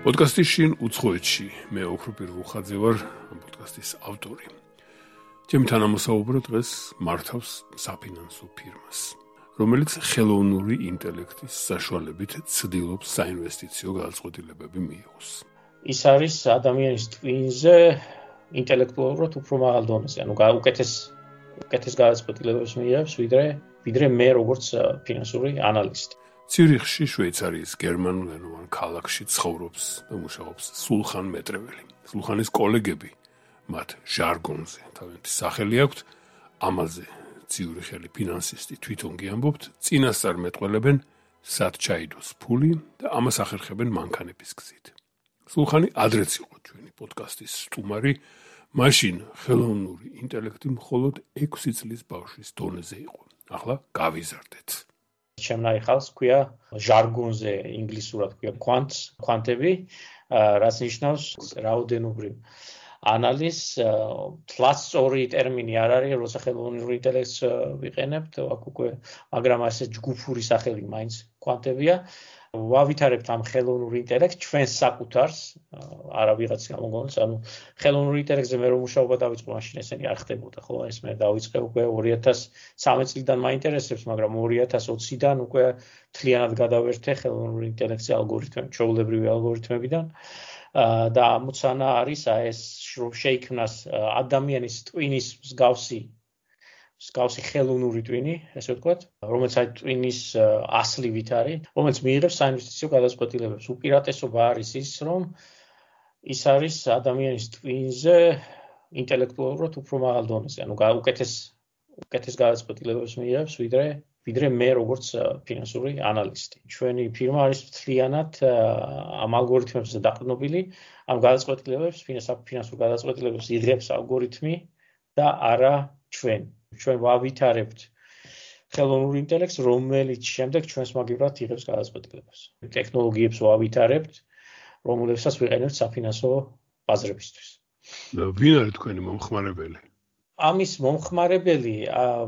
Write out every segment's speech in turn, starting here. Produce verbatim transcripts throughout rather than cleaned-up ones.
პოდკასტის შინ უცხოეთში მე ოქროპირ ვუხაძე ვარ ამ პოდკასტის ავტორი. ჩემი თანამოსაუბრო დღეს მართავს საფინანსო ფირმას, რომელიც ხელოვნური ინტელექტის საშუალებით ცდილობს საინვესტიციო გადაწყვეტილებები მიიღოს. ის არის ადამიანის ტვინზე ინტელექტუალურად უფრო მაღალ დონეზე, ანუ უკეთეს უკეთეს გადაწყვეტილებებს მიიღებს, ვიდრე ვიდრე მე როგორც ფინანსური ანალისტი. ციურიხში, შვეიცარიის გერმანულენოვან ქალაქში ცხოვრობს და მუშაობს სულხან მეტრეველი. სულხანის კოლეგები მათ ჟარგონზე თავიანთი სახელი აქვთ, ამაზე ციურიხელი ფინანსისტი თვითონ გიამბობთ, წინასწარ მეტყველებენ სად ჩაიდოს ფული და ამას ახერხებენ მანქანების გზით. სულხანი ადრეც იყო ჩვენი პოდკასტის სტუმარი, მაშინ ხელოვნური ინტელექტი მხოლოდ ექვსი წლის ბავშვის დონეზე იყო. ახლა გავიზარდეთ. ჩემნაირ ხალხს ქვია ჟარგონზე, ინგლისურად ქვია quants, quantები, რაც ნიშნავს რაოდენობრივ ანალიზს, თლაც სწორი ტერმინი არ არის, როცა ხელოვნური ინტელექტს ვიყენებთ, აქ უკვე, მაგრამ ასე ჯგუფური სახელი მაინც quantებია. ვავითარებთ ამ ხელოვნურ ინტელექტს ჩვენს საკუთარს, არა ვიღაც გამოგონს, ანუ ხელოვნურ ინტელექტზე მე რომ მუშაობა დავიწყო, მაშინ ესენი არ ხდებოდა, ხო? ეს მე დავიწყე უკვე ორი ათას სამი წლიდან მაინტერესებს, მაგრამ ორი ათას ოციდან უკვე მთლიანად გადავერთე ხელოვნურ ინტელექტზე ალგორითმები, ჩვეულებრივი ალგორითმებიდან და ამოცანა არის ეს შეიქმნას ადამიანის ტვინის მსგავსი მსგავსი ხელოვნური ტვინი, ესე ვთქვათ, რომელიც აი ტვინის ასლივით არის, რომელიც მიიღებს საინვესტიციო გადაწყვეტილებებს. უპირატესობა არის ის, რომ ის არის ადამიანის ტვინზე ინტელექტუალურად უფრო მაღალ დონეზე, ანუ უკეთეს უკეთეს გადაწყვეტილებებს მიიღებს, ვიდრე ვიდრე მე როგორც ფინანსური ანალისტი. ჩვენი ფირმა არის მთლიანად ამ ალგორითმებზე დაყრდნობილი, ამ გადაწყვეტილებებს, ფინანსურ გადაწყვეტილებებს იღებს ალგორითმი და არა ჩვენ. ჩვენ ვავითარებთ ხელოვნურ ინტელექტს, რომელიც შემდეგ ჩვენს მაგივრად იღებს გადაწყვეტილებებს. ტექნოლოგიებს ვავითარებთ, რომლებსაც ვიყენებთ საფინანსო ბაზრებისთვის. ვინ არის თქვენი მომხმარებელი? ამის მომხმარებელი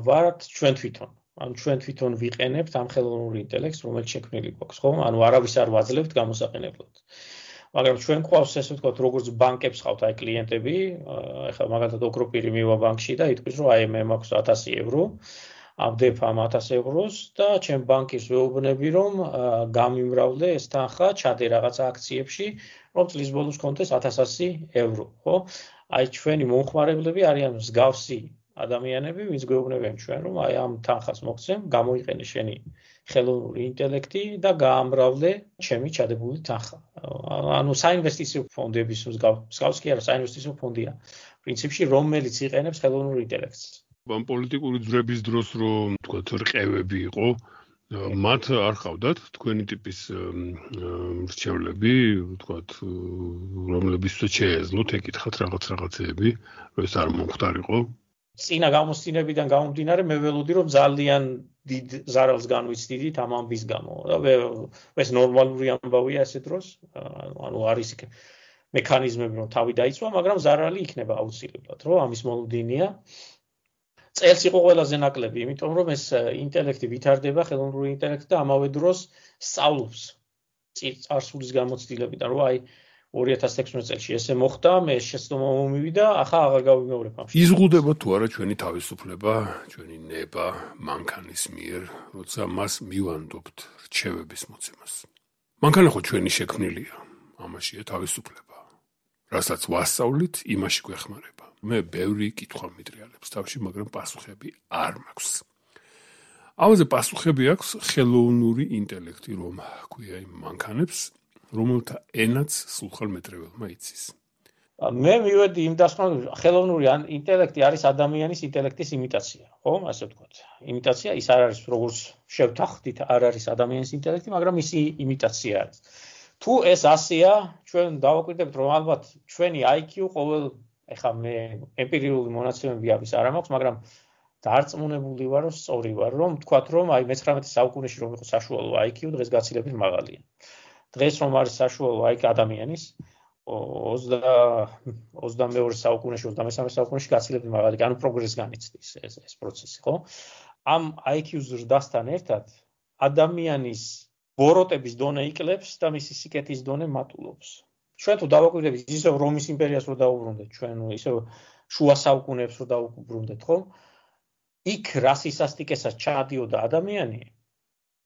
ვართ ჩვენ თვითონ. ანუ ჩვენ თვითონ ვიყენებთ ამ ხელოვნურ ინტელექტს, რომელიც შექმნილი გვაქვს, ხო? ანუ არავის არ ვაძლევთ გამოსაყენებლად. მაგრამ ჩვენ ყავს ესე ვთქვათ, როგორც ბანკებს ყავთ აი კლიენტები, ეხლა მაგალითად ოქროპირი მივა ბანკში და იტყვის, რომ აი მე მაქვს ათასი ევრო, ავდებ ამ ათას ევროს და ჩემ ბანკირს ვეუბნები, რომ გამიმრავლე ეს თანხა, ჩადე რაღაცა აქციებში, რომ წლის ბოლოს კონდეს ათას ასი ევრო, ხო? აი ჩვენი მომხმარებლები არიან მსგავსი ადამიანები, ვინც გვეუბნებიან ჩვენ, რომ აი ამ თანხას მოგცემ, გამოიყენე შენი ხელოვნური ინტელექტი და გაამრავლე ჩემი ჩადებული თანხა. ანუ საინვესტიციო ფონდების მსგავს კი არა, საინვესტიციო ფონდია. პრინციპში რომელიც იყენებს ხელოვნურ ინტელექტს. ამ პოლიტიკური ძვრების დროს რომ თქვათ რყევები იყო, მათ არ ხავდათ თქვენი ტიპის მრჩევლები, თქვათ, რომლებსაც შეეძლოთ ეკითხათ რაღაც რაღაცეები, რომ ეს არ მომხდარიყო. წინა გამოსცინებიდან გამომდინარე მე ველოდი რომ ძალიან დიდ ზარალს განვიცდიდით ამ ამბის გამო და ეს ნორმალური ამბავია ესე დროს, ანუ არის იქ მექანიზმები რომ თავი დაიცვა, მაგრამ ზარალი იქნება აუცილებლად, რომ ამის მოლოდინია. წელს იყო ყველაზე ნაკლები, იმიტომ რომ ეს ინტელექტი ვითარდება, ხელოვნური ინტელექტი და ამავე დროს სწავლობს წარსულის გამოცდილებიდან, რომ აი ორი ათას ექვსმეტ წელს ესე მოხდა, მე შეცდომა მომივიდა, ახლა აღარ გავიმეორებ ამ შემთხვევაში. იზღუდება თუ არა ჩვენი თავისუფლება, ჩვენი ნება მანქანის მიერ, როცა მას მივანდობთ რჩევების მოცემას. მანქანა ხო ჩვენი შექმნილია, ამაშია თავისუფლება. რასაც ვასწავლით, იმაში გვეხმარება. მე ბევრი კითხვა მიტრიალებს თავში, მაგრამ პასუხები არ მაქვს. ამაზე პასუხები აქვს ხელოვნური ინტელექტი, რომ ქვია იმ მანქანებს, რომელთა ენაც სულხან მეტრეველმა იცის. მე მივედი იმ დასკვნამდე, ხელოვნური ინტელექტი არის ადამიანის ინტელექტის იმიტაცია, ხო? ასე ვთქვათ. იმიტაცია ის არ არის, როგორც შევთანხმდით, არ არის ადამიანის ინტელექტი, მაგრამ ისი იმიტაცია არის. თუ ეს ასეა, ჩვენ დავაკვირდებთ, რომ ალბათ ჩვენი აი კიუ ყოველ, ეხლა მე ემპირიული მონაცემები ამის არ მაქვს, მაგრამ დარწმუნებული ვარ, რომ სწორი ვარ, რომ ვთქვათ, რომ აი მეცხრამეტე საუკუნეში რომ იყო საშუალო აი კიუ, დღეს გაცილებით მაღალია. დღეს რომ არის საშუალო აი კიუ ადამიანის ოცდამეორე საუკუნეში, ოცდამესამე საუკუნეში გაცილებით მაღალი, ანუ პროგრესს განიცდის ეს ეს პროცესი, ხო? ამ აი კიუს ზრდასთან ერთად ადამიანის ბოროტების დონე იკლებს და მისი სიკეთის დონე მატულობს. ჩვენ თუ დავაკვირდებით ისევ რომის იმპერიას რო დაუბრუნდეთ, ჩვენ ისევ შუა საუკუნეებს რო დაუბრუნდეთ, ხო? იქ რა სისასტიკესაც ჩაადიოდა ადამიანი,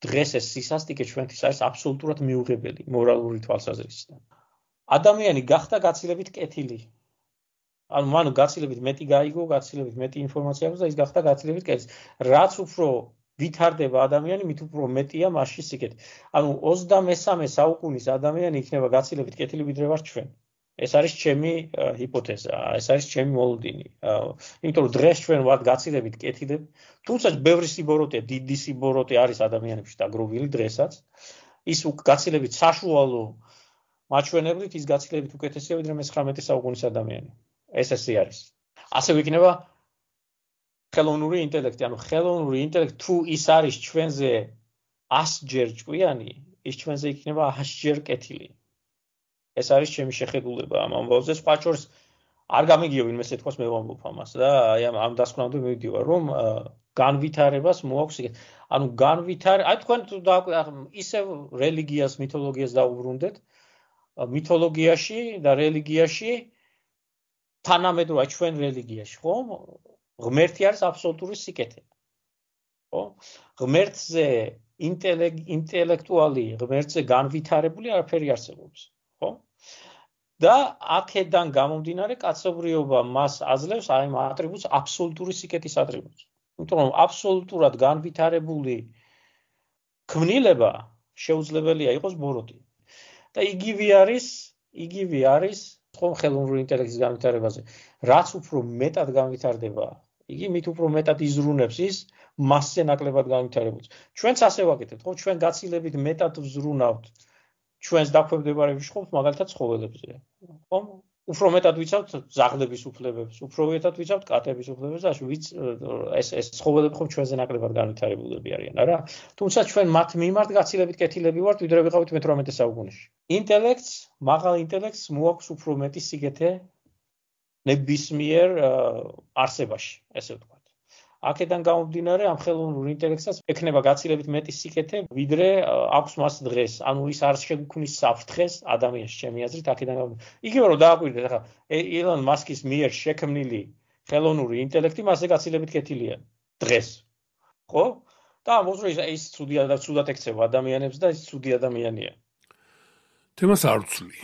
დღეს ეს სისასტიკე ჩვენთვის არის აბსოლუტურად მიუღებელი მორალური თვალსაზრისით. ადამიანი გახდა გაცილებით კეთილი. ანუ მანუ გაცილებით მეტი გაიგო, გაცილებით მეტი ინფორმაცია აქვს და ის გახდა გაცილებით კეთილი. რაც უფრო ვითარდება ადამიანი, მით უფრო მეტია მასში სიკეთე. ანუ ოცდამესამე საუკუნის ადამიანი იქნება გაცილებით კეთილი ვიდრე ვართ ჩვენ. ეს არის ჩემი ჰიპოთეზა, ეს არის ჩემი მოლოდინი. იმიტომ რომ დღეს ჩვენ ვართ გაცილებით კეთილები, თუმცა ბევრი სიბოროტე, დიდი სიბოროტე არის ადამიანებში დაგროვილი დღესაც. ის გაცილებით საშუალო მაჩვენებლით ის გაცილებით უკეთესია ვიდრე მესამე საუკუნის ადამიანი. ეს ესე არის. ასევე იქნება ხელოვნური ინტელექტი, ანუ ხელოვნური ინტელექტი თუ ის არის ჩვენზე ასჯერ ჭკვიანი, ის ჩვენზე იქნება ათჯერ კეთილი. ეს არის ჩემი შეხედულება ამ ამბავზე. სხვა შორის არ გამიგიო ვინმე ეთქოს მე ვამბობ ამას და აი ამ ამ დასკვნამდე მივიდივარ, რომ განვითარებას მოაქვს იქ. ანუ განვითარ, აი თქვენ თუ ისევ რელიგიას, მითოლოგიას დაუბრუნდეთ, მითოლოგიაში და რელიგიაში თანამედროვე ჩვენ რელიგიაში, ხო? ღმერთი არის აბსოლუტური სიკეთე. ხო? ღმერთზე ინტელექტუალი, ღმერთზე განვითარებული არაფერი არსებობს, ხო? და აქედან გამომდინარე კაცობრიობა მას აძლევს აი ამ ატრიბუტს აბსოლუტური სიკეთის ატრიბუტს. იმიტომ რომ აბსოლუტურად განვითარებული ქმნილება შეუძლებელია იყოს ბოროტი. და იგივე არის, იგივე არის ხომ ხელოვნური ინტელექტის განვითარებაზე. რაც უფრო მეტად განვითარდება, იგი მით უფრო მეტად იზრუნებს ის მასზე ნაკლებად განვითარებულს. ჩვენც ასე ვაკეთებთ, ხო? ჩვენ გაცილებით მეტად ვზრუნავთ ჩვენს დაქვემდებარების ხომს, მაგალითად ცხოველებზე. ხო? უფრო მეტად ვიცავთ ზაღლების უფლებებს, უფრო მეტად ვიცავთ კატების უფლებებს და ვიც ეს ეს ცხოველები ხომ ჩვენზე ნაკლებად განვითარებულები არიან, არა? თუმცა ჩვენ მათ მიმართ გაცილებით კეთილები ვართ, ვიდრე ვიყავით მეთვრამეტე საუკუნეში. ინტელექტს, მაღალ ინტელექტს მოაქვს უფრო მეტი სიკეთე ნებისმიერ არსებაში, ესე ვთქვათ. აქედან გამომდინარე ამ ხელოვნურ ინტელექტსაც ექნება გაცილებით მეტი სიკეთე, ვიდრე აქვს მას დღეს. ანუ ის არ შეგვქმნის საფრთხეს ადამიანს, ჩემი აზრით, აქედან გამომდინარე. იგივე რომ დააკვირდეთ, ახლა ელონ მასკის მიერ შექმნილი ხელოვნური ინტელექტი მასზე გაცილებით კეთილია დღეს. ხო? და ამბობს რომ ის ცუდია და ცუდად ექცევა ადამიანებს და ის ცუდი ადამიანია. თემას არ ვცვლი.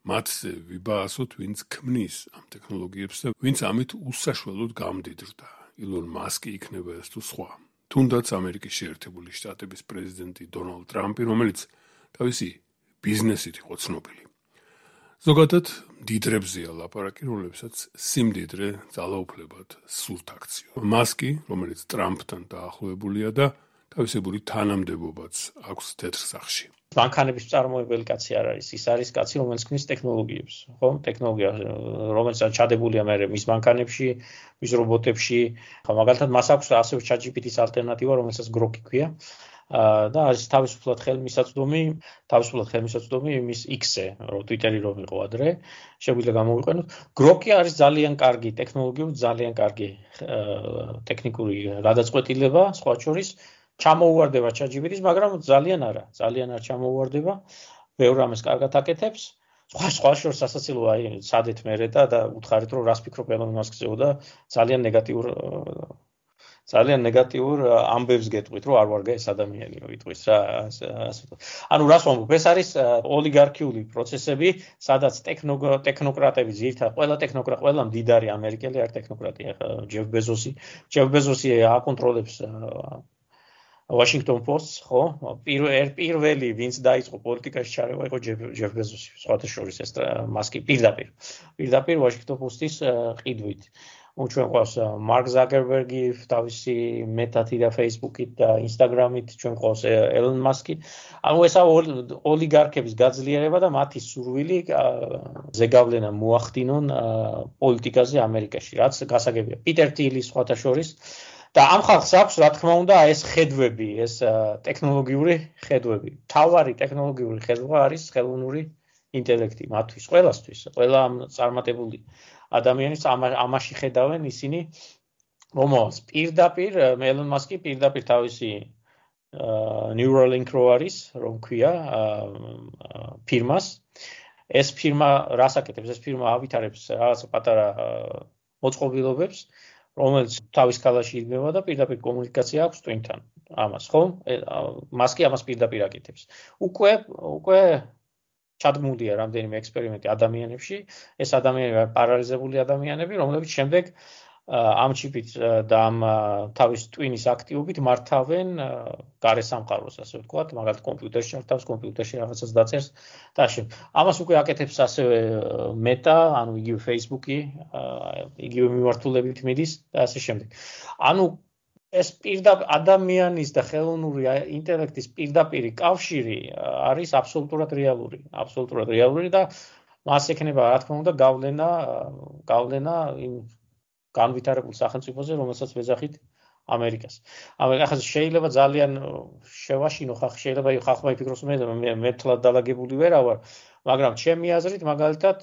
მათზე ვიბაასოთ, ვინც ქმნის ამ ტექნოლოგიებს და ვინც ამით უსაშველოდ გამდიდრდა. ილონ მასკი იქნება ეს თუ სხვა. თუნდაც ამერიკის შეერთებული შტატების პრეზიდენტი დონალდ ტრამპი, რომელიც თავისი ბიზნესით იყო ცნობილი. ზოგადად მდიდრებზეა ლაპარაკი, რომლებსაც სიმდიდრე ძალაუფლებად სურთ აქციო. მასკი, რომელიც ტრამპთან დაახლოებულია და თავისებური თანამდებობაც აქვს თეთრ სახში. მანქანების წარმოებელი კაცი არ არის, ის არის კაცი, რომელიც ქმნის ტექნოლოგიებს, ხო? ტექნოლოგია, რომელიც ჩადებულია მე მის მანქანებში, მის რობოტებში. ხო, მაგალითად მას აქვს ასევე ChatGPT-ის ალტერნატივა, რომელსაც Grok ქვია. და არის თავისუფლად ხელმისაწვდომი, თავისუფლად ხელმისაწვდომი მის X-ზე, რომ Twitter-ი რომ იყო ადრე, შეგვიძლია გამოვიყენოთ. Grok-ი არის ძალიან კარგი ტექნოლოგიური, ძალიან კარგი ტექნიკური გადაწყვეტილება, სხვა შორის ჩამოუვარდება ChatGPT-ს, მაგრამ ძალიან არა, ძალიან არ ჩამოუვარდება. ბევრ ამას კარგად აკეთებს. სხვა სხვა შორის სასაცილო აი სადეთ მერე და და უთხარით რომ რას ფიქრობ ელონ მასკზეო და ძალიან ნეგატიურ ძალიან ნეგატიურ ამბებს გეტყვით, რომ არ ვარგა ეს ადამიანიო, იტყვის რა, ასე. ანუ რას ვამბობ, ეს არის ოლიგარქიული პროცესები, სადაც ტექნოკრატები ძირითადად, ყველა ტექნოკრატი, ყველა მდიდარი ამერიკელი არ ტექნოკრატია, ჯეფ ბეზოსი, ჯეფ ბეზოსი აკონტროლებს Washington Post, ხო? პირველი, ვინც დაიწყო პოლიტიკაში ჩარევა, იყო ჯეფ ბეზოსი, სხვათა შორის ეს მასკი პირდაპირ. პირდაპირ Washington Post-ის ყიდვით. ჩვენ ყავს მარკ ზაკერბერგი, თავისი მეტათი და Facebook-ით და Instagram-ით, ჩვენ ყავს ელონ მასკი. ანუ ესა ოლიგარქების გაძლიერება და მათი სურვილი ზეგავლენა მოახდინონ პოლიტიკაზე ამერიკაში, რაც გასაგებია. პიტერ ტილი სხვათა შორის და ამ ხალხს აქვს, რა თქმა უნდა, ეს ხედვები, ეს ტექნოლოგიური ხედვები. თავარი ტექნოლოგიური ხედვა არის ხელოვნური ინტელექტი მათთვის, ყველასთვის, ყველა წარმატებული ადამიანის ამაში ხედავენ ისინი, რომელს პირდაპირ ელონ მასკი პირდაპირ თავისი Neuralink რო არის, რომ ქვია ფირმას. ეს ფირმა რას აკეთებს? ეს ფირმა ავითარებს რაღაც პატარა მოწყობილობებს, რომელიც თავის ქალაში იდგება და პირდაპირ კომუნიკაცია აქვს ტვინთან. ამას, ხო? მას კი ამას პირდაპირ აკეთებს. უკვე უკვე ჩადგმულია რამდენიმე ექსპერიმენტი ადამიანებში, ეს ადამიანები პარალიზებული ადამიანები, რომლებიც შემდეგ ამ ჩიპით და ამ თავის ტვინის აქტივობით მართავენ გარე სამყაროს, ასე ვთქვათ, მაგალითად კომპიუტერში ჩართავს, კომპიუტერში რაღაცას დაწერს და ასე. ამას უკვე აკეთებს ასევე მეტა, ანუ იგივე Facebook-ი, იგივე მიმართულებით მიდის და ასე შემდეგ. ანუ ეს პირდაპირ ადამიანის და ხელოვნური ინტელექტის პირდაპირი კავშირი არის აბსოლუტურად რეალური, აბსოლუტურად რეალური და მას ექნება, რა თქმა უნდა, გავლენა, გავლენა იმ განვითარებულ სახელმწიფოზე, რომელსაც ვეძახით ამერიკას. ამერიკა შეიძლება ძალიან შევაშინო ხალხი, შეიძლება ხალხმა იფიქროს მე მე თლად დალაგებული ვერა ვარ, მაგრამ ჩემი აზრით, მაგალითად,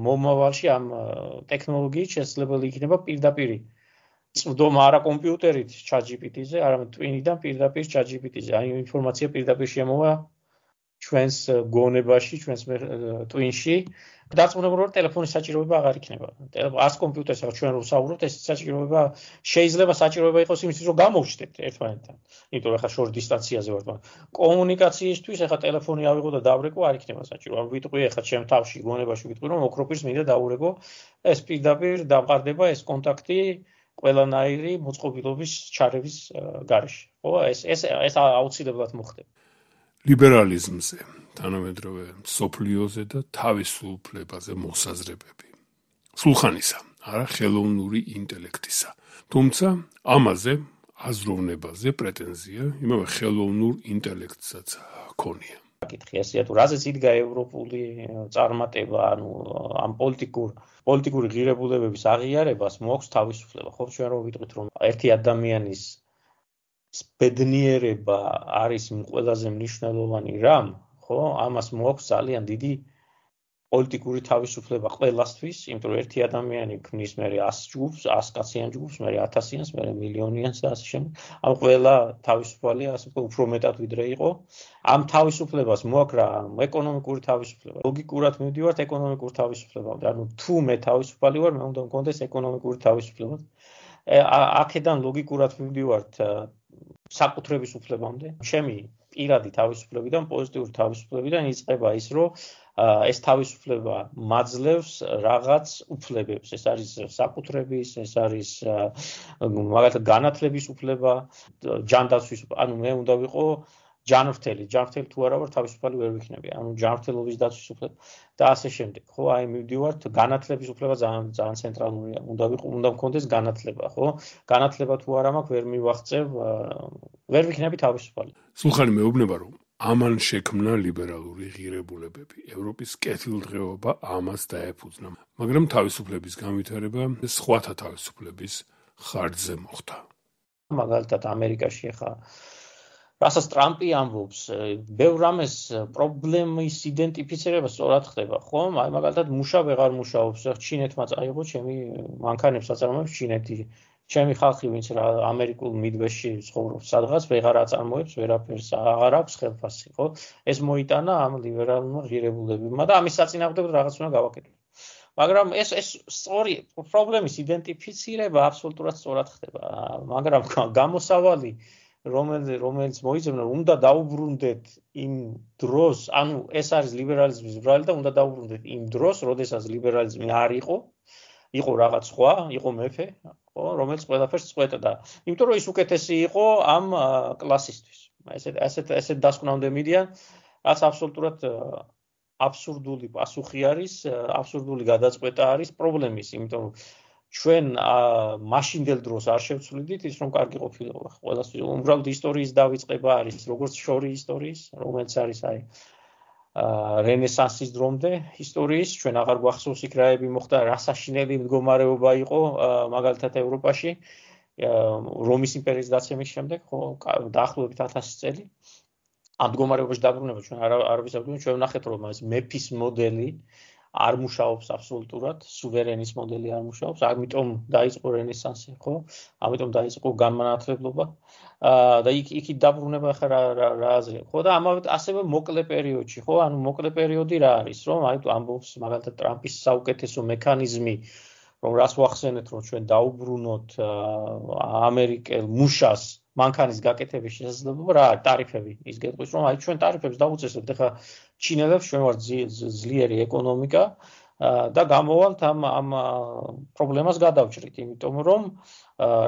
მომავალში ამ ტექნოლოგიით შესაძლებელი იქნება პირდაპირი წვდომა არა კომპიუტერით ChatGPT-ზე, არამედ ტვინიდან პირდაპირ ChatGPT-ზე. აი ინფორმაცია პირდაპირ შემოვა ჩვენს გონებაში, ჩვენს ტვინში. დარწმუნებული ვარ, ტელეფონის საჭიროება აღარ იქნება. არც კომპიუტერს ახლა ჩვენ რო ვსაუბრობთ, ეს საჭიროება შეიძლება საჭიროება იყოს იმისთვის, რომ გამოვჩნდეთ ერთმანეთთან. იმიტომ რომ ახლა შორ დისტანციაზე ვართ. კომუნიკაციისთვის ახლა ტელეფონი ავიღო და დავრეკო, არ იქნება საჭირო. ან ვიტყვი ახლა ჩემ თავში, გონებაში ვიტყვი, რომ ოქროპირს მინდა დაურეკო, ეს პირდაპირ დამყარდება ეს კონტაქტი ყველანაირი მოწყობილობის ჩარევის გარეშე. ხო, ეს ეს ეს აუცილებლად მოხდება. ლიბერალიზმზე, თანამედროვე სოფლიოზე და თავისუფლებაზე მოსაზრებები. სულხანისა, არა ხელოვნური ინტელექტისა. თუმცა ამაზე აზროვნებაზე პრეტენზია იმავე ხელოვნურ ინტელექტსაც ჰქონია. საკითხი ასეა თუ რაზეც იდგა ევროპული წარმატება, ანუ ამ პოლიტიკურ პოლიტიკური ღირებულებების აღიარებას მოაქვს თავისუფლება. ხო, ჩვენ რო ვიტყვით, რომ ერთი ადამიანის ბედნიერება არის ყველაზე მნიშვნელოვანი რამ, ხო, ამას მოაქვს ძალიან დიდი პოლიტიკური თავისუფლება ყველასთვის, იმიტომ რომ ერთი ადამიანი ქმნის მე ას ჯგუფს, ას კაციან ჯგუფს, მე ათასიანს, მე მილიონიანს და ასე შემდეგ. ამ ყველა თავისუფალია, ასე ვთქვათ, უფრო მეტად ვიდრე იყო. ამ თავისუფლებას მოაქვს რა, ეკონომიკური თავისუფლება. ლოგიკურად მივდივართ ეკონომიკურ თავისუფლებამდე. ანუ თუ მე თავისუფალი ვარ, მე უნდა მქონდეს ეკონომიკური თავისუფლება. აქედან ლოგიკურად მივდივართ საკუთრების უფლებამდე. ჩემი პირადი თავისუფლებიდან, პოზიტიური თავისუფლებიდან იწყება ის, რომ ეს თავისუფლება მაძლევს რაღაც უფლებებს. ეს არის საკუთრების, ეს არის მაგალითად განათლების უფლება, ჯანდაცვის, ანუ მე უნდა ვიყო ჯანმრთელი, ჯანმრთელი თუ არა ვარ, თავისუფალი ვერ ვიქნები. ანუ ჯანმრთელობის დაცვის უფლება და ასე შემდეგ. ხო, აი მივდივართ, განათლების უფლება ძალიან ძალიან ცენტრალურია. უნდა ვიყო, უნდა მქონდეს განათლება, ხო? განათლება თუ არა მაქვს, ვერ მივაღწევ, ვერ ვიქნები თავისუფალი. სულხანი მეუბნება, რომ ამან შექმნა ლიბერალური ღირებულებები. ევროპის კეთილდღეობა ამას დაეფუძნა, მაგრამ თავისუფლების განვითარება სხვათა თავისუფლების ხარჯზე მოხდა. მაგალითად, ამერიკაში ახლა რასაც ტრამპი ამბობს, ბევრ რამეს პრობლემის იდენტიფიცირება სწორად ხდება, ხო? აი მაგალითად, მუშა ვეღარ მუშაობს, ჩინეთმა წაიღო ჩემი მანქანებს აწარმოებს ჩინეთი. ჩემი ხალხი, ვინც რა ამერიკულ მიდვესტში ცხოვრობს სადღაც, ვეღარ აწარმოებს ვერაფერს, აღარ აქვს ხელფასი, ხო? ეს მოიტანა ამ ლიბერალურმა ღირებულებებმა და ამის საწინააღმდეგოდ რაღაც უნდა გავაკეთოთ. მაგრამ ეს ეს სწორი პრობლემის იდენტიფიცირება აბსოლუტურად სწორად ხდება, მაგრამ გამოსავალი რომელიც რომელიც მოიძებნა, უნდა დაუბრუნდეთ იმ დროს, ანუ ეს არის ლიბერალიზმის ბრალი და უნდა დაუბრუნდეთ იმ დროს, როდესაც ლიბერალიზმი არ იყო, იყო რაღაც სხვა, იყო მეფე, ხო, რომელიც ყველაფერს წყვეტდა. იმიტომ რომ ის უკეთესი იყო ამ კლასისთვის. ესეთ ესეთ ესეთ დასკვნამდე მიდიან, რაც აბსოლუტურად აბსურდული პასუხი არის, აბსურდული გადაწყვეტა არის პრობლემის, იმიტომ რომ ჩვენ მაშინდელ დროს არ შევცვლიდით ის, რომ კარგი ყოფილიყო. ყველასთვის უბრალოდ ისტორიის დავიწყება არის, როგორც შორი ისტორიის, რომელიც არის აი რენესანსის დრომდე ისტორიის, ჩვენ აღარ გვახსოვს იქ რაები მოხდა, რა საშინელი მდგომარეობა იყო, მაგალითად ევროპაში, რომის იმპერიის დაცემის შემდეგ, ხო, დაახლოებით ათასი წელი. ამ მდგომარეობაში დაბრუნება ჩვენ არ არ ვისაუბრებთ, ჩვენ ვნახეთ, რომ ეს მეფის მოდელი არ მუშაობს აბსოლუტურად, სუვერენის მოდელი არ მუშაობს, ამიტომ დაიწყო რენესანსი, ხო? ამიტომ დაიწყო განმანათლებლობა. და იქ იქით დაბრუნება ხა რა რა აზრი, ხო? და ამავე ასევე მოკლე პერიოდში, ხო? ანუ მოკლე პერიოდი რა არის, რომ აი ამბობს მაგალითად ტრამპის საუკეთესო მექანიზმი, რომ რას ვახსენეთ, რომ ჩვენ დაუბრუნოთ ამერიკელ მუშას მანქანის გაკეთების შესაძლებლობა რა არის ტარიფები. ის გეტყვის, რომ აი ჩვენ ტარიფებს დავუწესებთ, ეხლა ჩინელებს ჩვენ ვართ ძლიერი ეკონომიკა და გამოვალთ ამ ამ პრობლემას გადავჭრით, იმიტომ რომ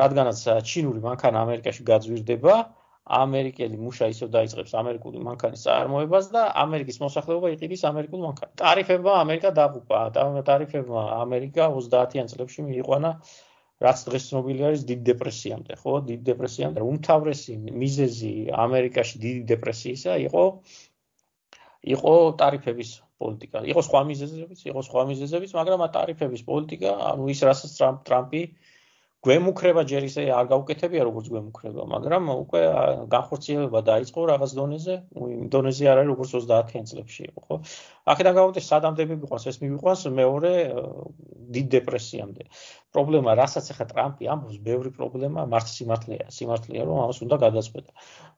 რადგანაც ჩინური მანქანა ამერიკაში გაძვირდება, ამერიკელი მუშა ისევ დაიწყებს ამერიკული მანქანის წარმოებას და ამერიკის მოსახლეობა იყიდის ამერიკულ მანქანას. ტარიფებმა ამერიკა დაღუპა, ტარიფებმა ამერიკა ოცდაათიან წლებში მიიყვანა რაც დღეს ცნობილი არის დიდ დეპრესიამდე, ხო? დიდ დეპრესიამდე. უმთავრესი მიზეზი ამერიკაში დიდი დეპრესიისა იყო იყო ტარიფების პოლიტიკა. იყო სხვა მიზეზებიც, იყო სხვა მიზეზებიც, მაგრამ ტარიფების პოლიტიკა, ანუ ის რასაც ტრამპი გვემუქრება ჯერ ისე არ გაუკეთებია როგორც გვემუქრება, მაგრამ უკვე განხორციელება დაიწყო რაღაც დონეზე, იმ დონეზე არ არის როგორც ოცდაათიან წლებში იყო, ხო? აქედან გამომდინარე სადამდები მიყვანს, ეს მიყვანს მეორე დიდ დეპრესიამდე. პრობლემა, რასაც ახლა ტრამპი ამბობს, ბევრი პრობლემა, მართ სიმართლეა, სიმართლეა, რომ ამას უნდა გადაწყვეტა.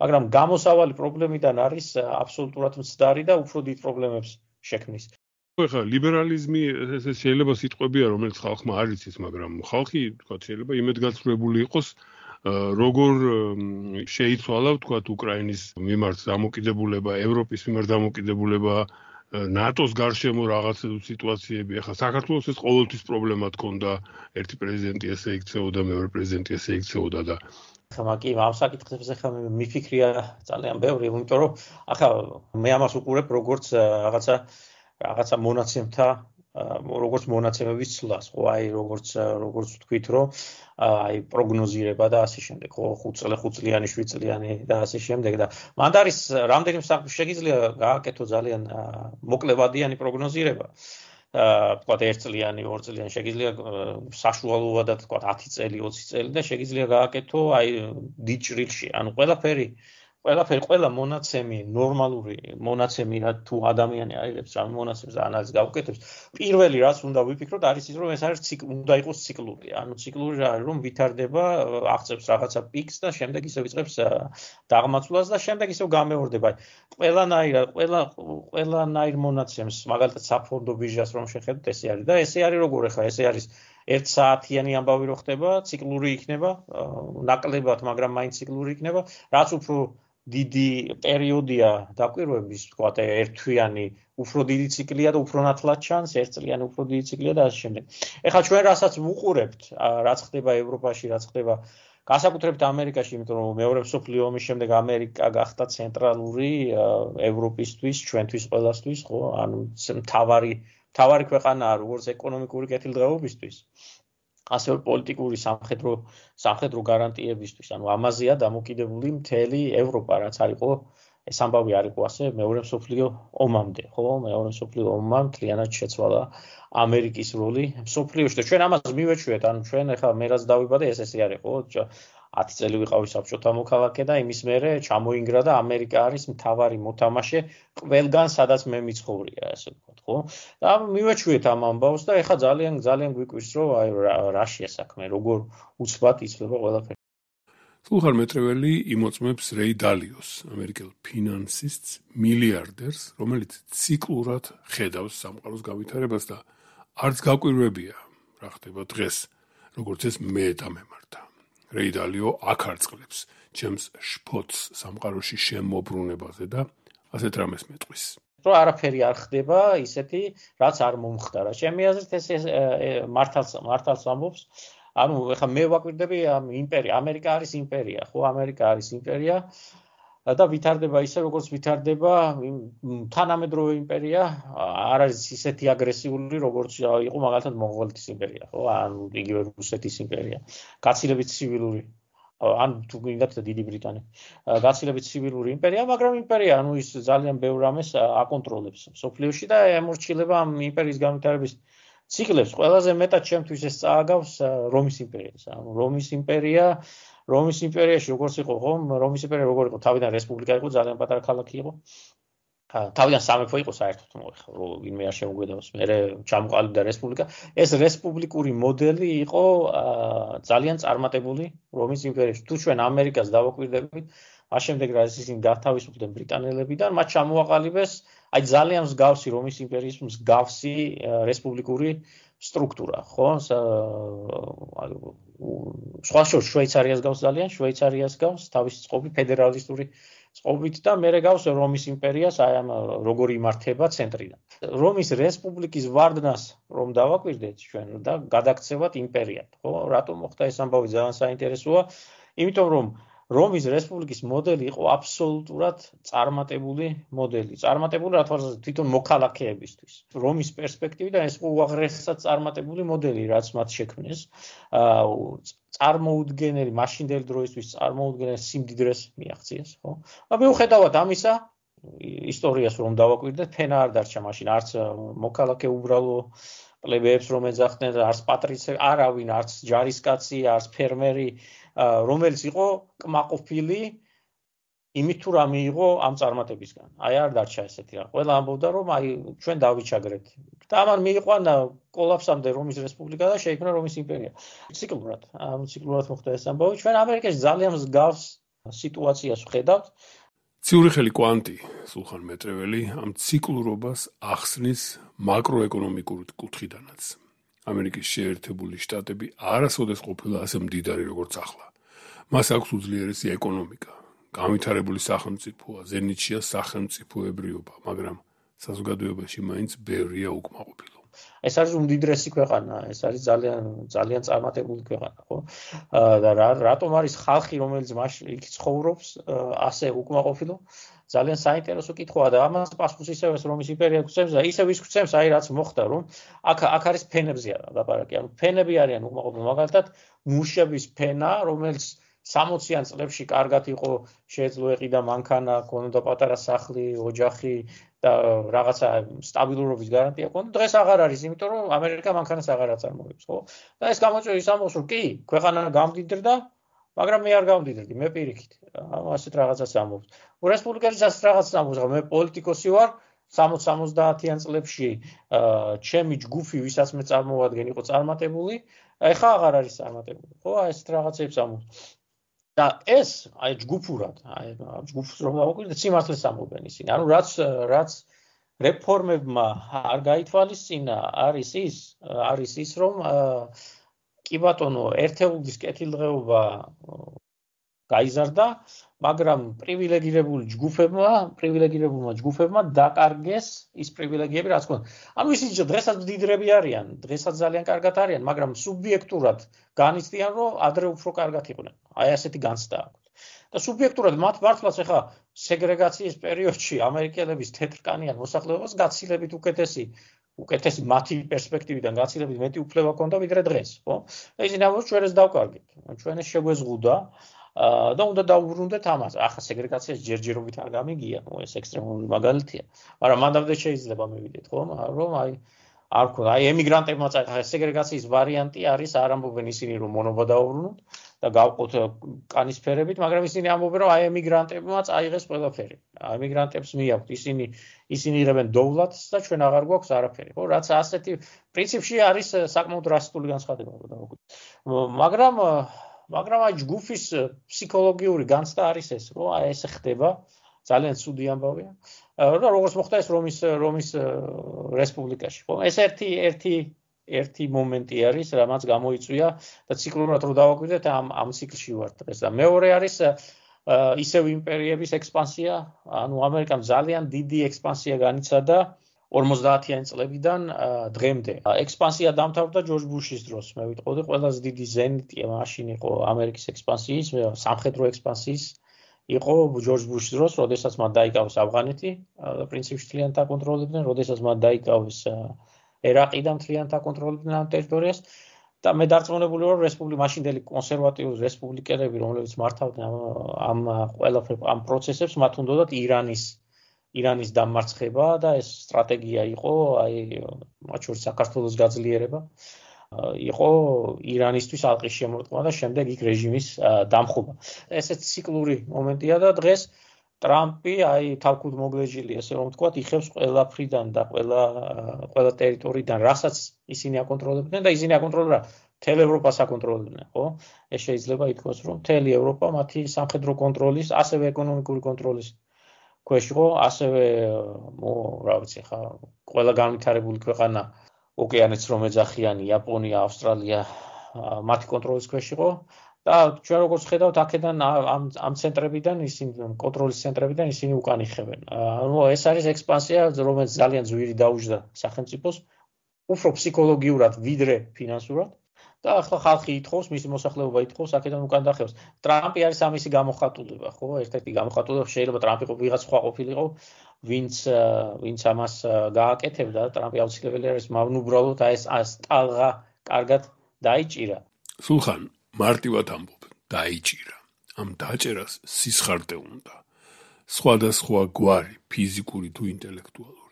მაგრამ გამოსავალი პრობლემიდან არის აბსოლუტურად მცდარი და უფრო დიდ პრობლემებს შექმნის. ხა ლიბერალიზმი ეს შეიძლება სიტყვებია, რომელიც ხალხმა არ იცის, მაგრამ ხალხი, თქვა, შეიძლება იმედგაცრუებული იყოს, როგორ შეიცვალა, თქვა, უკრაინის მიმართ დამოკიდებულება, ევროპის მიმართ დამოკიდებულება, ნატოს გარშემო რაღაც სიტუაციები. ახლა საქართველოს ეს ყოველთვის პრობლემა თქონდა, ერთი პრეზიდენტი ესე იქცეოდა, მეორე პრეზიდენტი ესე იქცეოდა და ხა კი, ამ საკითხებზე ხა მიფიქრია ძალიან ბევრი, იმიტომ რომ ახლა მე ამას უყურებ როგორც რაღაცა რაღაცა მონაცემთა როგორც მონაცემების ცვლას, ხო, აი როგორც როგორც ვთქვით, რომ აი პროგნოზირება და ასე შემდეგ, ხო, ხუთ წელი, ხუთ წლიანი, შვიდ წლიანი და ასე შემდეგ და მანდ არის რამდენი შეიძლება გააკეთო ძალიან მოკლებადიანი პროგნოზირება. თქვა ერთ წლიანი, ორ წლიანი შეიძლება საშუალოებად თქვა ათი წელი, ოცი წელი და შეიძლება გააკეთო აი დიდ ჭრილში, ანუ ყველაფერი ყველაფერი ყველა მონაცემი ნორმალური მონაცემი რა თუ ადამიანი აიღებს რა მონაცემს ანალიზს გავუკეთებს პირველი რაც უნდა ვიფიქროთ არის ის რომ ეს არის უნდა იყოს ციკლური ანუ ციკლური რა არის რომ ვითარდება აღწევს რაღაცა პიკს და შემდეგ ისე ვიწყებს დაღმაცვლას და შემდეგ ისე გამეორდება ყველანაირად ყველა ყველანაირ მონაცემს მაგალითად საფონდო ბირჟას რომ შეხედოთ ესე არის და ესე არის როგორ ახლა ესე არის ერთ საათიანი ამბავი რო ხდება ციკლური იქნება ნაკლებად მაგრამ მაინც ციკლური იქნება რაც უფრო დიდი პერიოდია დაკვირვების, თქვა ერთთვიანი, უფრო დიდი ციკლია და უფრო ნათლად ჩანს, ერთწლიანი უფრო დიდი ციკლია და ასე შემდეგ. ეხლა ჩვენ რასაც ვუყურებთ, რაც ხდება ევროპაში, რაც ხდება განსაკუთრებით ამერიკაში, იმიტომ რომ მეორე მსოფლიო ომის შემდეგ ამერიკა გახდა ცენტრალური ევროპისთვის, ჩვენთვის ყველასთვის, ხო? ანუ მთავარი მთავარი ქვეყანაა როგორც ეკონომიკური კეთილდღეობისთვის. ასევე პოლიტიკური სამხედრო სამხედრო გარანტიებისთვის, ანუ ამაზეა დამოკიდებული მთელი ევროპა, რაც არისო, ეს ამბავი არისო ასე მეორე მსოფლიო ომამდე, ხო? მეორე მსოფლიო ომმა მთლიანად შეცვალა ამერიკის როლი მსოფლიოში და ჩვენ ამას მივეჩვიეთ, ანუ ჩვენ ახლა მე რაც დავიბადე, ეს ესე არის, ხო? ათი წელი ვიყავი საბჭოთა მოქალაქე და იმის მერე ჩამოინგრა და ამერიკა არის მთავარი მოთამაშე ყველგან, სადაც მე მიცხოვრია, ასე ვთქვათ, ხო? და მივეჩვიეთ ამ ამბავს და ეხლა ძალიან ძალიან გვიკვირს, რომ აი რაშია საქმე, როგორ უცბად იცვლება ყველაფერი. სულხან მეტრეველი იმოწმებს რეი დალიოს, ამერიკელ ფინანსისტს, მილიარდერს, რომელიც ციკლურად ხედავს სამყაროს გავითარებას და არც გაკვირვებია, რა ხდება დღეს, როგორც ეს მე დამემართა. რეი დალიო აქ არწყლებს ჩემს შფოთს სამყაროში შემოbrunებაზე და ასეთ რამეს მეტყვის. რომ არაფერი არ ხდება ისეთი, რაც არ მომხდარა. ჩემი აზრით ეს მართალს მართალს ამბობს. ანუ ეხლა მე ვაკვირდები ამ იმპერია, ამერიკა არის იმპერია, ხო, ამერიკა არის იმპერია და ვითარდება ისე, როგორც ვითარდება თანამედროვე იმპერია, არ არის ისეთი აგრესიული, როგორც იყო მაგალითად მონღოლეთის იმპერია, ხო, ანუ იგივე რუსეთის იმპერია. გაცილებით ცივილური ან თუ გინდათ დიდი ბრიტანეთი. გაცილებით ცივილური იმპერია, მაგრამ იმპერია, ანუ ის ძალიან ბევრ რამეს აკონტროლებს სოფლიოში და ემორჩილება ამ იმპერიის განვითარების ციკლებს. ყველაზე მეტად ჩემთვის ეს წააგავს რომის იმპერიას. ანუ რომის იმპერია, რომის იმპერიაში როგორც იყო, ხო? რომის იმპერია როგორ იყო? თავიდან რესპუბლიკა იყო, ძალიან პატარა ქალაქი იყო. თავიდან სამეფო იყო საერთოდ მოიხო, რომ ვინმე არ შემოგვედავს, მე ჩამოყალიბდა რესპუბლიკა. ეს რესპუბლიკური მოდელი იყო ძალიან წარმატებული რომის იმპერიაში. თუ ჩვენ ამერიკას დავაკვირდებით, მას შემდეგ რა ისინი გათავისუფლდნენ ბრიტანელებიდან, მათ ჩამოაყალიბეს აი ძალიან მსგავსი რომის იმპერიის მსგავსი რესპუბლიკური სტრუქტურა, ხო? სხვა შორს შვეიცარიას გავს ძალიან, შვეიცარიას გავს თავისი წყობი ფედერალისტური წყობით და მერე გავს რომის იმპერიას აი ამ როგორი იმართება ცენტრიდან. რომის რესპუბლიკის ვარდნას რომ დავაკვირდეთ ჩვენ და გადაქცევათ იმპერიად, ხო? რატომ მოხდა ეს ამბავი ძალიან საინტერესოა, იმიტომ რომ რომის რესპუბლიკის მოდელი იყო აბსოლუტურად წარმატებული მოდელი. წარმატებული რა თქმა უნდა თვითონ მოქალაქეებისთვის. რომის პერსპექტივიდან ეს უაღრესად წარმატებული მოდელი, რაც მათ შექმნეს, წარმოუდგენელი მაშინდელი დროისთვის წარმოუდგენელ სიმდიდრეს მიაღწიეს, ხო? და მიუხედავად ამისა, ისტორიას რომ დავაკვირდეთ, ფენა არ დარჩა მაშინ, არც მოქალაქე უბრალო პლებეებს რომ ეძახდნენ, არც პატრიცე, არავინ, არც ჯარისკაცი, არც ფერმერი, რომელიც იყო კმაყოფილი იმით თუ რა მიიღო ამ წარმატებისგან. აი არ დარჩა ესეთი რა. ყველა ამბობდა რომ აი ჩვენ დავიჩაგრეთ. და ამან მიიყვანა კოლაფსამდე რომის რესპუბლიკა და შეიქმნა რომის იმპერია. ციკლურად, ამ ციკლურად მოხდა ეს ამბავი. ჩვენ ამერიკაში ძალიან მსგავს სიტუაციას ვხედავთ. ციურიხელი კვანტი, სულხან მეტრეველი, ამ ციკლურობას ახსნის მაკროეკონომიკური კუთხიდანაც. ამერიკის შეერთებული შტატები არასოდეს ყოფილა ასე მდიდარი როგორც ახლა. მას აქვს უძლიერესი ეკონომიკა, განვითარებული სახელმწიფოა, ზენიტშია სახელმწიფოებრიობა, მაგრამ საზოგადოებაში მაინც ბევრია უკმაყოფილო. ეს არის უმდიდრესი ქვეყანა, ეს არის ძალიან ძალიან წარმატებული ქვეყანა, ხო? და რატომ არის ხალხი, რომელიც მაშინ იქ ცხოვრობს, ასე უკმაყოფილო? ძალიან საინტერესო კითხვაა და ამას პასუხს ისევ ეს რომის იმპერია გვცემს და ისევ ის გვცემს, აი რაც მოხდა, რომ აქ აქ არის ფენებზე ლაპარაკი, ანუ ფენები არიან უკმაყოფილო, მაგალითად მუშების ფენა, რომელიც სამოციან წლებში კარგად იყო, შეეძლო ეყიდა მანქანა, ქონოდა პატარა სახლი, ოჯახი და რაღაცა სტაბილურობის გარანტია ქონდა. დღეს აღარ არის, იმიტომ რომ ამერიკა მანქანას აღარ აწარმოებს, ხო? და ეს გამოწვევს ის ამბავს, რომ კი, ქვეყანა გამდიდრდა, მაგრამ მე არ გამდიდრდი, მე პირიქით. ასეთ რაღაცას ამბობს. რესპუბლიკელიც ასეთ რაღაცას ამბობს, მე პოლიტიკოსი ვარ, სამოც-სამოცდაათიან წლებში ჩემი ჯგუფი, ვისაც მე წარმოვადგენ, იყო წარმატებული, ეხლა აღარ არის წარმატებული, ხო? ასეთ რაღაცებს ამბობს. და ეს აი ჯგუფურად, აი ჯგუფს რომ დავაკვირდეთ, სიმართლეს ამბობენ ისინი. ანუ რაც რაც რეფორმებმა არ გაითვალისწინა, არის ის, არის ის, რომ კი ბატონო, ერთეულის კეთილდღეობა გაიზარდა, მაგრამ პრივილეგირებული ჯგუფებმა, პრივილეგირებულმა ჯგუფებმა დაკარგეს ის პრივილეგიები, რაც ჰქონდათ. ანუ ისინი დღესაც მდიდრები არიან, დღესაც ძალიან კარგად არიან, მაგრამ სუბიექტურად განიცდიან, რომ ადრე უფრო კარგად იყვნენ. აი ასეთი განცდა აქვს. და სუბიექტურად მათ მართლაც ახლა სეგრეგაციის პერიოდში ამერიკელების თეთრკანიან მოსახლეობას გაცილებით უკეთესი უკეთესი მათი პერსპექტივიდან გაცილებით მეტი უფლება ჰქონდა ვიდრე დღეს, ხო? და ისინი ამბობს ჩვენ ეს დავკარგეთ. ჩვენ ეს შეგვეზღუდა და უნდა დავუბრუნდეთ ამას. ახლა სეგრეგაციას ჯერჯერობით არ გამიგია, ეს ექსტრემალური მაგალითია, მაგრამ მანდამდე შეიძლება მივიდეთ, ხო? რომ აი არ ქონდა, აი ემიგრანტებმა წაიღეს სეგრეგაციის ვარიანტი არის, არ ამბობენ ისინი რომ მონობა დაუბრუნოთ და გავყოთ კანის ფერებით, მაგრამ ისინი ამბობენ რომ აი ემიგრანტებმა წაიღეს ყველაფერი. ემიგრანტებს მიაქვთ, ისინი ისინი იღებენ დოვლათს და ჩვენ აღარ გვაქვს არაფერი, ხო? რაც ასეთი პრინციპში არის საკმაოდ რასისტული განცხადება, რომ დავაკვირდეთ. მაგრამ მაგრამ აი ჯგუფის ფსიქოლოგიური განცდა არის ეს, რომ აი ეს ხდება, ძალიან ცუდი ამბავია. და როგორც მოხდა ეს რომის რომის რესპუბლიკაში, ხო? ეს ერთი ერთი ერთი მომენტი არის, რამაც გამოიწვია და ციკლურად რო დავაკვირდეთ, ამ ამ ციკლში ვართ დღეს. და მეორე არის ისევ იმპერიების ექსპანსია, ანუ ამერიკამ ძალიან დიდი ექსპანსია განიცადა ორმოცდაათიან წლებიდან დღემდე. ექსპანსია დამთავრდა ჯორჯ ბუშის დროს. მე ვიტყოდი, ყველაზე დიდი ზენიტი მაშინ იყო ამერიკის ექსპანსიის, სამხედრო ექსპანსიის იყო ჯორჯ ბუშის დროს, როდესაც მათ დაიკავეს ავღანეთი, პრინციპში თლიანად აკონტროლებდნენ, როდესაც მათ დაიკავეს ერაყი და თლიანად აკონტროლებდნენ ამ ტერიტორიას. და მე დარწმუნებული ვარ, რესპუბლიკა მაშინდელი კონსერვატიული რესპუბლიკელები, რომლებიც მართავდნენ ამ ყველაფერ ამ პროცესებს, მათ უნდათ ირანის ირანის დამარცხება და ეს სტრატეგია იყო, აი მათ შორის საქართველოს გაძლიერება. იყო ირანისთვის ალყის შემორტყმა და შემდეგ იქ რეჟიმის დამხობა. ესეც ციკლური მომენტია და დღეს ტრამპი აი თავკუთ მოგლეჯილი, ესე რომ ვთქვათ, იხევს ყველაფრიდან და ყველა ყველა ტერიტორიიდან, რასაც ისინი აკონტროლებდნენ და ისინი აკონტროლებდნენ მთელ ევროპას აკონტროლებდნენ, ხო? ეს შეიძლება ითქვას, რომ მთელი ევროპა მათი სამხედრო კონტროლის, ასევე ეკონომიკური კონტროლის ქვეშ იყო, ასევე რა ვიცი ხა, ყველა განვითარებული ქვეყანა ოკეანეც რომ ეძახიან, იაპონია, ავსტრალია მათი კონტროლის ქვეშ იყო. და ჩვენ როგორც ხედავთ, აქედან ამ ამ ცენტრებიდან ისინი კონტროლის ცენტრებიდან ისინი უკან იხევენ. ანუ ეს არის ექსპანსია, რომელიც ძალიან ძვირი დაუჯდა სახელმწიფოს, უფრო ფსიქოლოგიურად ვიდრე ფინანსურად. და ახლა ხალხი ითხოვს, მისი მოსახლეობა ითხოვს, აქედან უკან დახევს. ტრამპი არის ამისი გამოხატულება, ხო? ერთ-ერთი გამოხატულება შეიძლება ტრამპი ვიღაც სხვა ყოფილიყო, ვინც ვინც ამას გააკეთებდა, ტრამპი აუცილებელი არის, მაგრამ უბრალოდ აი ეს ტალღა კარგად დაიჭირა. სულხან მარტივად ამბობ, დაიჭირა. ამ დაჭერას სისხარტე უნდა. სხვადასხვა გვარი, ფიზიკური თუ ინტელექტუალური.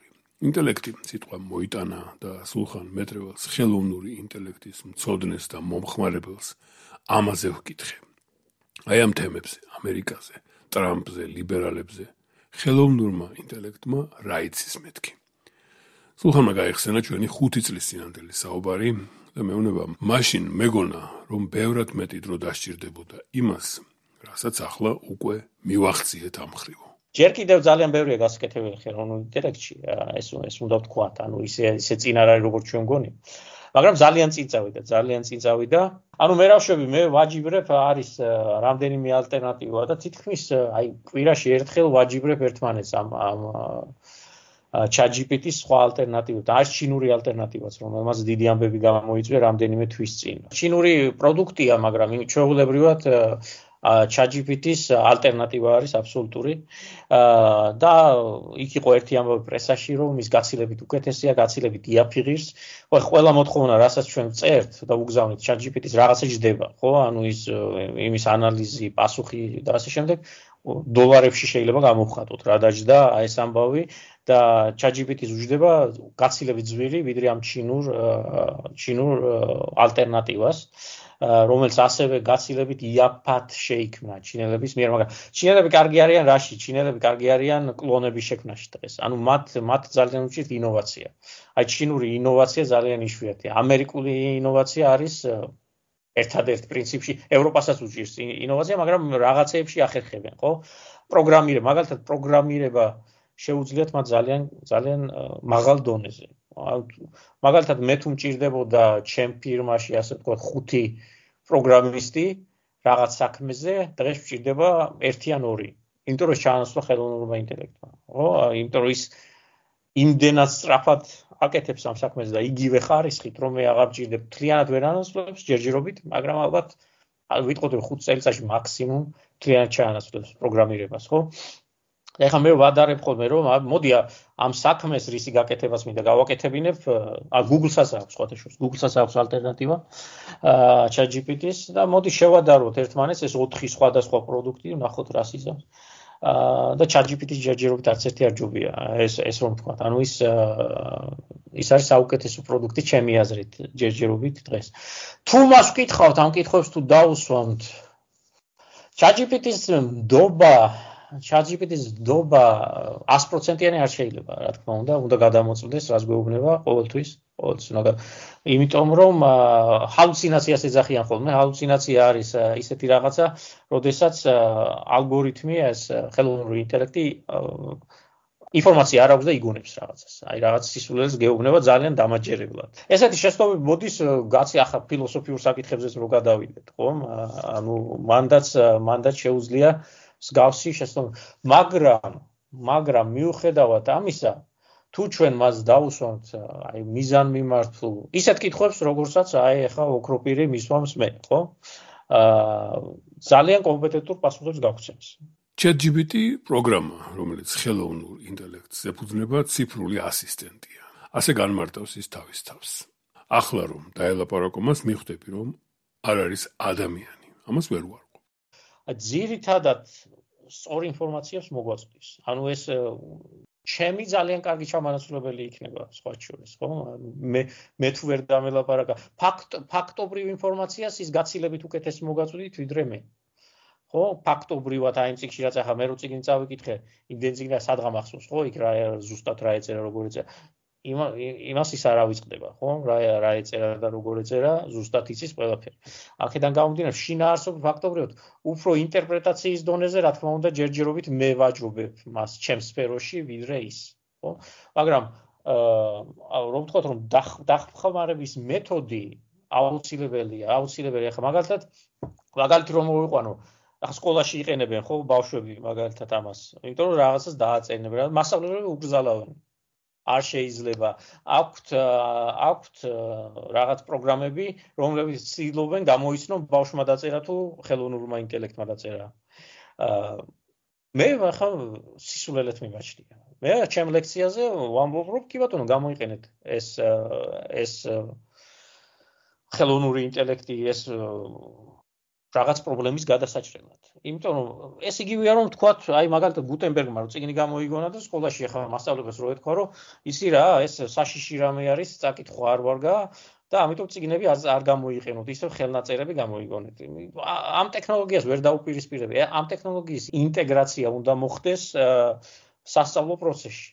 ინტელექტი სიტყვა მოიტანა და სულხან მეტრეველს ხელოვნური ინტელექტის მცოდნეს და მომხმარებელს ამაზე ვკითხე. აი ამ თემებზე, ამერიკაზე, ტრამპზე, ლიბერალებზე, ხელოვნურმა ინტელექტმა რა იცის მეთქი. სულხანმა გაიხსენა ჩვენი ხუთი წლის წინანდელი საუბარი და მეუბნება, მაშინ მეგონა, რომ ბევრად მეტი დრო დასჭირდებოდა იმას, რასაც ახლა უკვე მივახციეთ ამ ხრივ. ჯერ კიდევ ძალიან ბევრია გასაკეთებელი ხელოვნურ ინტელექტში, ეს ეს უნდა ვთქვათ, ანუ ისე ისე წინ არ არის როგორც ჩვენ გონი. მაგრამ ძალიან წინ წავიდა, ძალიან წინ წავიდა. ანუ მე რავშვები, მე ვაჯიბრებ, არის რამდენიმე ალტერნატივა და თითქმის აი კვირაში ერთხელ ვაჯიბრებ ერთმანეთს ამ ამ ChatGPT-ის სხვა ალტერნატივა და არის ჩინური ალტერნატივაც, რომელმაც დიდი ამბები გამოიწვია რამდენიმე თვის წინ. ჩინური პროდუქტია, მაგრამ ჩვეულებრივად ChatGPT-ის ალტერნატივა არის აბსოლუტური და იქ იყო ერთი ამბავი პრესაში, რომ ის გაცილებით უკეთესია, გაცილებით იაფიღირს. ხო, ყველა მოთხოვნა, რასაც ჩვენ წერთ და უგზავნით ChatGPT-ს რაღაცა ჯდება, ხო? ანუ ის იმის ანალიზი, პასუხი და ასე შემდეგ დოლარებში შეიძლება გამოვხატოთ, რა დაჯდა აი ეს ამბავი და ChatGPT-ს უჯდება გაცილებით ძვირი, ვიდრე ამ ჩინურ ჩინურ ალტერნატივას. რომელიც ასევე გაცილებით იაფად შეიქმნა ჩინელების მიერ, მაგრამ ჩინელები კარგი არიან რაში? ჩინელები კარგი არიან კლონების შექმნაში დღეს. ანუ მათ მათ ძალიან უჭირთ ინოვაცია. აი ჩინური ინოვაცია ძალიან იშვიათია. ამერიკული ინოვაცია არის ერთადერთ პრინციპში, ევროპასაც უჭირს ინოვაცია, მაგრამ რაღაცეებში ახერხებენ, ხო? პროგრამირება, მაგალითად პროგრამირება შეუძლიათ მათ ძალიან ძალიან მაღალ დონეზე. მაგალითად მე თუ მჭირდებოდა ჩემ ფირმაში, ასე ვთქვათ, ხუთი პროგრამისტი რაღაც საქმეზე, დღეს მჭირდება ერთი ან ორი. იმიტომ რომ ჩაანაცვლა ხელოვნურმა ინტელექტმა, ხო? იმიტომ რომ ის იმდენად სწრაფად აკეთებს ამ საქმეს და იგივე ხარისხით, რომ მე აღარ მჭირდება, მთლიანად ვერ ანაცვლებს ჯერჯერობით, მაგრამ ალბათ ვიტყოდ რომ ხუთ წელიწადში მაქსიმუმ მთლიანად ჩაანაცვლებს პროგრამირებას, ხო? ეხლა მე ვადარებ ხოლმე რომ მოდი ამ საქმეს რისი გაკეთებას მინდა გავაკეთებინებ, Google-საც აქვს სხვათაშორის, Google-საც აქვს ალტერნატივა ChatGPT-ს და მოდი შევადაროთ ერთმანეთს ეს ოთხი სხვადასხვა პროდუქტი, ვნახოთ რას იზამს. და ChatGPT-ს ჯერჯერობით არც ერთი არ ჯობია, ეს ეს რომ ვთქვათ, ანუ ის ის არის საუკეთესო პროდუქტი ჩემი აზრით ჯერჯერობით დღეს. თუ მას ვკითხავთ, ამ კითხვებს თუ დაუსვამთ, ChatGPT-ს ნდობა ChatGPT-ს ნდობა ას პროცენტიანი არ შეიძლება, რა თქმა უნდა, უნდა გადამოწმდეს, რას გვეუბნება ყოველთვის, ყოველთვის უნდა. იმიტომ რომ ჰალუცინაციას ეძახიან ხოლმე, ჰალუცინაცია არის ისეთი რაღაცა, როდესაც ალგორითმი, ეს ხელოვნური ინტელექტი ინფორმაცია არ აქვს და იგონებს რაღაცას. აი რაღაც სისულელს გეუბნება ძალიან დამაჯერებლად. ესეთი შეცდომები მოდის, გაცი ახლა ფილოსოფიურ საკითხებზეც რო გადავიდეთ, ხო? ანუ მანდაც მანდაც შეუძლია მსგავსი შეცდომა, მაგრამ მაგრამ მიუხედავად ამისა, თუ ჩვენ მას დაუსვამთ აი მიზანმიმართულ ისეთ კითხვებს, როგორცაც აი ახლა ოქროპირი მისვამს მე, ხო? აა ძალიან კომპეტენტურ პასუხებს გაგვცემს. ChatGPT პროგრამა, რომელიც ხელოვნურ ინტელექტს ეფუძნება, ციფრული ასისტენტია. ასე განმარტავს ის თავის თავს. ახლა რომ დაელაპარაკო მას, მიხვდები რომ არ არის ადამიანი. ამას ვერ ვარყო. ძირითადად სწორ ინფორმაციას მოგვაწვდის. ანუ ეს ჩემი ძალიან კარგი ჩამანაცვლებელი იქნება სხვა შორის, ხო? მე მე თუ ვერ დამელაპარაკა, ფაქტ ფაქტობრივ ინფორმაციას ის გაცილებით უკეთეს მოგაწვდით ვიდრე მე. ხო, ფაქტობრივად აი იმ წიგნში რაც ახლა მე რო წიგნი წავიკითხე, იმდენ წიგნი სადღა მახსოვს, ხო, იქ რა ზუსტად რა ეწერა, როგორ ეწერა. იმას ის არ ავიწყდება, ხო? რა რა ეწერა და როგორ ეწერა, ზუსტად იცის ყველაფერი. აქედან გამომდინარე, შინაარსობრივ ფაქტობრივად უფრო ინტერპრეტაციის დონეზე, რა თქმა უნდა, ჯერჯერობით მე ვაჯობებ მას ჩემს სფეროში, ვიდრე ის, ხო? მაგრამ აა რომ ვთქვათ, რომ დახმარების მეთოდი აუცილებელია, აუცილებელია. ახლა მაგალითად, მაგალითი რომ მოვიყვანო, ახლა სკოლაში იყენებენ, ხო, ბავშვები მაგალითად ამას, იმიტომ რომ რაღაცას დააწერნებენ, მასწავლებლები უგზალავენ. არ შეიძლება აქვთ აქვთ რაღაც პროგრამები, რომლებიც ცდილობენ გამოიცნონ ბავშვმა დაწერა თუ ხელოვნურმა ინტელექტმა დაწერა. მე ახლა სისულელეთ მიმაჩნია. მე ჩემ ლექციაზე ვამბობ, რომ კი ბატონო, გამოიყენეთ ეს ეს ხელოვნური ინტელექტი, ეს რაღაც პრობლემის გადასაჭრელად. იმიტომ რომ ეს იგივეა რომ თქვათ, აი მაგალითად გუტენბერგმა რომ წიგნი გამოიგონა და სკოლაში ახლა მასწავლებლებს რო ეთქვა, რომ ისი რა, ეს საშიში რამე არის, წაკითხვა არ ვარგა და ამიტომ წიგნები არ გამოიყენოთ, ისევ ხელნაწერები გამოიგონეთ. ამ ტექნოლოგიას ვერ დაუპირისპირები. ამ ტექნოლოგიის ინტეგრაცია უნდა მოხდეს სასწავლო პროცესში.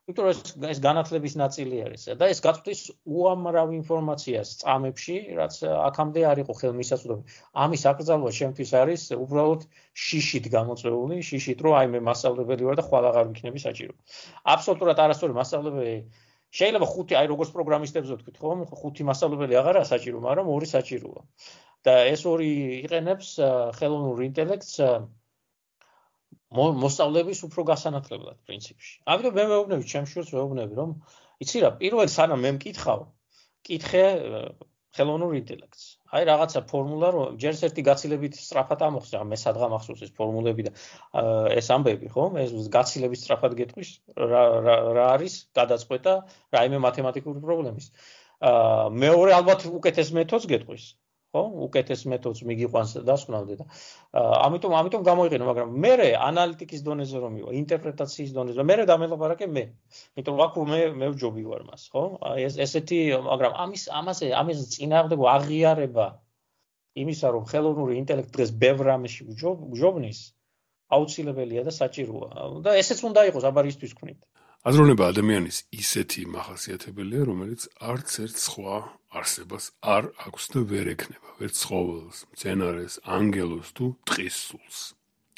იმიტომ რომ ეს განათლების ნაწილი არის და ეს გაწვდის უამრავ ინფორმაციას წამებში, რაც აქამდე არ იყო ხელმისაწვდომი. ამის აკრძალვა ჩემთვის არის უბრალოდ შიშით გამოწვეული, შიშით, რომ აი მე მასწავლებელი ვარ და ხვალ აღარ ვიქნები საჭირო. აბსოლუტურად არასწორი მასწავლებელი შეიძლება ხუთი, აი როგორც პროგრამისტებზე ვთქვით, ხო, ხუთი მასწავლებელი აღარაა საჭირო, მაგრამ ორი საჭიროა. და ეს ორი იყენებს ხელოვნურ ინტელექტს მოსწავლების უფრო გასანათლებლად პრინციპში. ამიტომ მე მეუბნები, ჩემს შვილს მეუბნები, რომ იცი რა, პირველ სანამ მე მკითხავ, კითხე ხელოვნურ ინტელექტს. აი რაღაცა ფორმულა, რომ ჯერ ერთი გაცილებით სწრაფად ამოხსნა, მე სადღა მახსოვს ეს ფორმულები და ეს ამბები, ხო? ეს გაცილებით სწრაფად გეტყვის, რა რა არის გადაწყვეტა რაიმე მათემატიკური პრობლემის. მეორე ალბათ უკეთეს მეთოდს გეტყვის. ხო, უკეთეს მეთოდს მიგიყვანს დასკვნამდე და ამიტომ ამიტომ გამოიყენო, მაგრამ მე ანალიტიკის დონეზე რომ მივა, ინტერპრეტაციის დონეზე, მე დამელაპარაკე მე. იმიტომ რომ აქ მე მე ვჯობი ვარ მას, ხო? ეს ესეთი, მაგრამ ამის ამაზე ამაზე წინააღმდეგ აღიარება იმისა, რომ ხელოვნური ინტელექტი დღეს ბევრ რამეში ვჯობნის, აუცილებელია და საჭიროა. და ესეც უნდა იყოს აბარისთვის ვქნით. აზროვნება ადამიანის ისეთი მახასიათებელია, რომელიც არც ერთ სხვა არსებას არ აქვს და ვერ ექნება, ვერც ცხოველს, მცენარეს, ანგელოზს თუ ტყის სულს.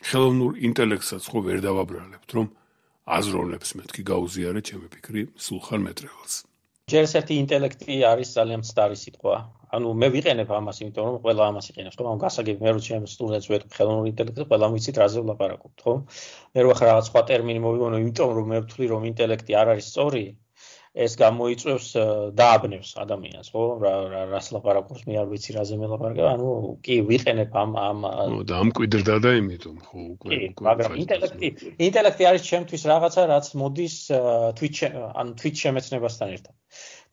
ხელოვნურ ინტელექტსაც ხო ვერ დავაბრალებთ, რომ აზროვნებს მეთქი გაუზიარეთ ჩემი ფიქრი სულხან მეტრეველს. ჯერ ერთი ინტელექტი არის ძალიან მცდარი სიტყვა. ანუ მე ვიყენებ ამას, იმიტომ რომ ყველა ამას იყენებს, ხო? ამ გასაგები მე რო ჩემ სტუდენტს ვეთქვი ხელოვნური ინტელექტი, ყველა ვიცით რაზე ვლაპარაკობთ, ხო? მე რო ახლა რაღაც სხვა ტერმინი მოვიგონო, იმიტომ რომ მე ვთვლი რომ ინტელექტი არ არის სწორი, ეს გამოიწვევს დააბნევს ადამიანს, ხო? რა რას ლაპარაკობს, მე არ ვიცი რაზე მელაპარაკე, ანუ კი ვიყენებ ამ ამ და ამ კვიდრდა და იმიტომ, ხო, უკვე უკვე. მაგრამ ინტელექტი, ინტელექტი არის ჩემთვის რაღაცა, რაც მოდის თვით ანუ თვით შემეცნებასთან ერთად.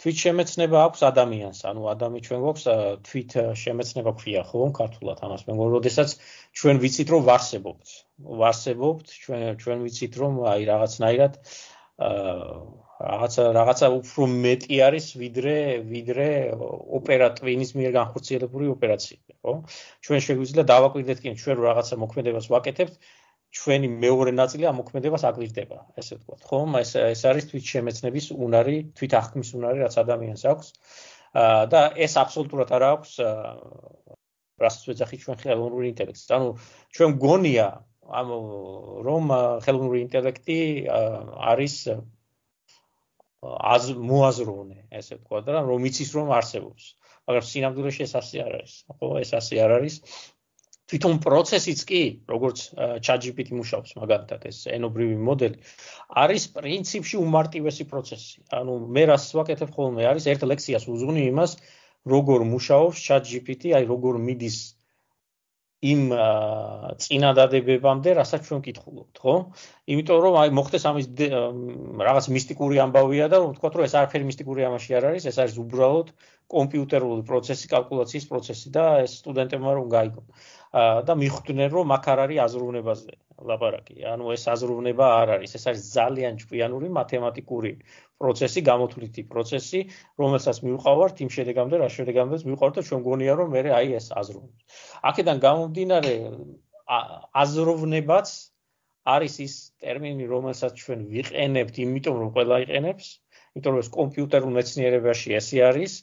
თვით შემეცნება აქვს ადამიანს, ანუ ადამი ჩვენ გვაქვს თვით შემეცნება ქვია, ხო, ქართულად ამას მე მგონი, როდესაც ჩვენ ვიცით რომ ვარსებობთ. ვარსებობთ, ჩვენ ჩვენ ვიცით რომ აი რაღაცნაირად რაღაცა რაღაცა უფრო მეტი არის ვიდრე ვიდრე ოპერატივის მიერ განხორციელებული ოპერაციები, ხო? ჩვენ შეგვიძლია დავაკვირდეთ კი ჩვენ რაღაცა მოქმედებას ვაკეთებთ, ჩვენი მეორე ნაწილი ამ მოქმედებას აკვირდება, ესე ვთქვათ, ხო? ეს ეს არის თვით შემეცნების უნარი, თვით აღქმის უნარი, რაც ადამიანს აქვს. და ეს აბსოლუტურად არ აქვს რასაც ვეძახით ჩვენ ხელოვნური ინტელექტს. ანუ ჩვენ გონია ამ რომ ხელოვნური ინტელექტი არის az მოაზროვნე, ესე ვთქვა და რომ იცის რომ არსებობს. მაგრამ სინამდვილეში ეს ასე არ არის. ხო, ეს ასე არ არის. თვითონ პროცესიც კი, როგორც ChatGPT მუშაობს, მაგალითად ეს ენობრივი მოდელი, არის პრინციპში უმარტივესი პროცესი. ანუ მე რას ვაკეთებ ხოლმე არის ერთ ლექციას უძღვნი იმას, როგორ მუშაობს ChatGPT, აი როგორ მიდის იმ წინადადებებამდე, რასაც ჩვენ ვკითხულობთ, ხო? იმიტომ რომ აი მოხდეს ამის რაღაც მისტიკური ამბავია და რომ ვთქვათ, რომ ეს არაფერი მისტიკური ამაში არ არის, ეს არის უბრალოდ კომპიუტერული პროცესი, კალკულაციის პროცესი და ეს სტუდენტებმა რომ გაიგონ. და მიხვდნენ რომ აქ არ არის აზროვნებაზე ლაპარაკი. ანუ ეს აზროვნება არ არის, ეს არის ძალიან ჭკვიანური მათემატიკური პროცესი, გამოთვლითი პროცესი, რომელსაც მივყავართ იმ შედეგამდე, რა შედეგამდეც მივყავართ და ჩვენ გონია რომ მე აი ეს აზროვნებს. აქედან გამომდინარე, აზროვნებაც არის ის ტერმინი, რომელსაც ჩვენ ვიყენებთ, იმიტომ რომ ყველა იყენებს, იმიტომ რომ ეს კომპიუტერულ მეცნიერებაში ესე არის.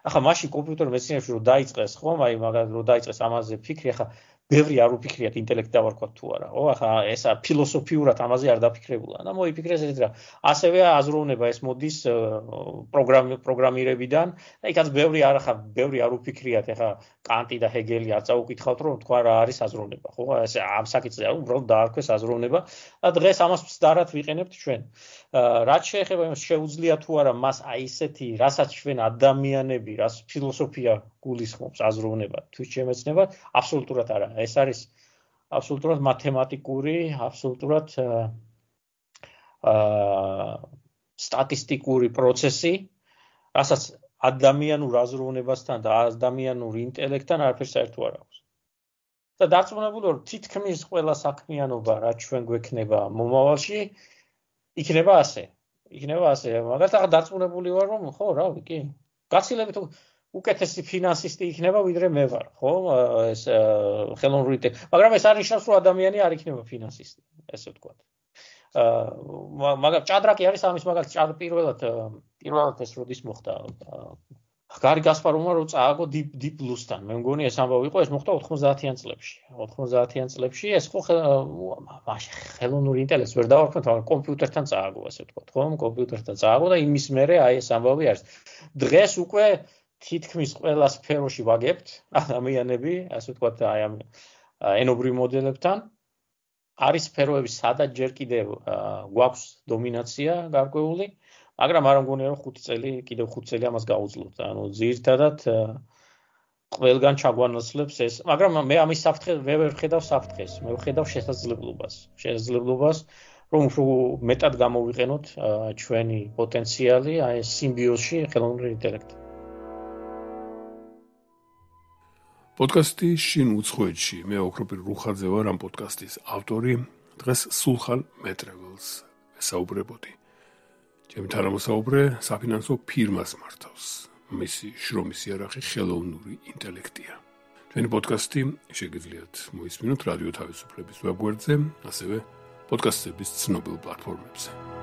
ახლა მაშინ კომპიუტერულ მეცნიერებაში რომ დაიწყეს, ხო, აი მაგალითად რომ დაიწყეს ამაზე ფიქრი, ახლა ბევრი არ უფიქრიათ ინტელექტი დავარქვათ თუ არა, ხო? ახლა ესა ფილოსოფიურად ამაზე არ დაფიქრებულა. და მოიფიქრეს ეს რა. ასევე აზროვნება ეს მოდის პროგრამირებიდან. და იქაც ბევრი არ ახლა ბევრი არ უფიქრიათ, ახლა კანტი და ჰეგელი არ წაუკითხავთ, რომ თქვა რა არის აზროვნება, ხო? ეს ამ საკითხზე არ უბრალოდ დაარქვეს აზროვნება და დღეს ამას მცდარად ვიყენებთ ჩვენ. რაც შეეხება იმას შეუძლია თუ არა მას აი ესეთი, რასაც ჩვენ ადამიანები, რას ფილოსოფია გულისხმობს აზროვნება, თუ შემეცნება, აბსოლუტურად არა. ეს არის აბსოლუტურად მათემატიკური, აბსოლუტურად აა სტატისტიკური პროცესი, რასაც ადამიანურ აზროვნებასთან და ადამიანურ ინტელექტთან არაფერს საერთო არ აქვს. და დარწმუნებული ვარ, თითქმის ყველა საქმიანობა, რაც ჩვენ გვექნება მომავალში, იქნება ასე. იქნება ასე. მაგალითად, დარწმუნებული ვარ, რომ ხო, რავი, კი. გაცილებით უკეთესი ფინანსისტი იქნება, ვიდრე მე ვარ, ხო? ეს ხელოვნური ინტელექტი. მაგრამ ეს არ ნიშნავს, რომ ადამიანი არ იქნება ფინანსისტი, ესე ვთქვათ. აა მაგრამ ჭადრაკი არის ამის მაგალითად, ჭადრ პირველად პირველად ეს როდის მოხდა? გარი გასპაროვმა რომ წააგო Deep Blue-სთან. მე მგონი ეს ამბავი იყო, ეს მოხდა ოთხმოცდაათიან წლებში. ოთხმოცდაათიან წლებში ეს ხო მაშინ ხელოვნური ინტელექტს ვერ დავარქვათ, მაგრამ კომპიუტერთან წააგო, ასე ვთქვათ, ხო? კომპიუტერთან წააგო და იმის მერე აი ეს ამბავი არის. დღეს უკვე თითქმის ყველა სფეროში ვაგებთ ადამიანები, ასე ვთქვათ, აი ამ ენობრივ მოდელებთან. არის სფეროები, სადაც ჯერ კიდევ გვაქვს დომინაცია გარკვეული, მაგრამ არ მგონია რომ ხუთი წელი, კიდევ ხუთი წელი ამას გაუძლოთ. ანუ ძირითადად ყველგან ჩაგვანაცვლებს ეს, მაგრამ მე ამის საფრთხეს ვერ ვხედავ საფრთხეს, მე ვხედავ შესაძლებლობას. შესაძლებლობას, რომ უფრო მეტად გამოვიყენოთ ჩვენი პოტენციალი აი ეს სიმბიოზში ხელოვნური ინტელექტი. პოდკასტი შინ უცხოეთში. მე ოქროპირ რუხაძე ვარ ამ პოდკასტის ავტორი. დღეს სულხან მეტრეველს ვესაუბრებოდი. ჩემი თანამოსაუბრე საფინანსო ფირმას მართავს. მისი შრომის იარაღი ხელოვნური ინტელექტია. ჩვენი პოდკასტი შეგიძლიათ მოისმინოთ რადიო თავისუფლების ვებგვერდზე, ასევე პოდკასტების ცნობილ პლატფორმებზე.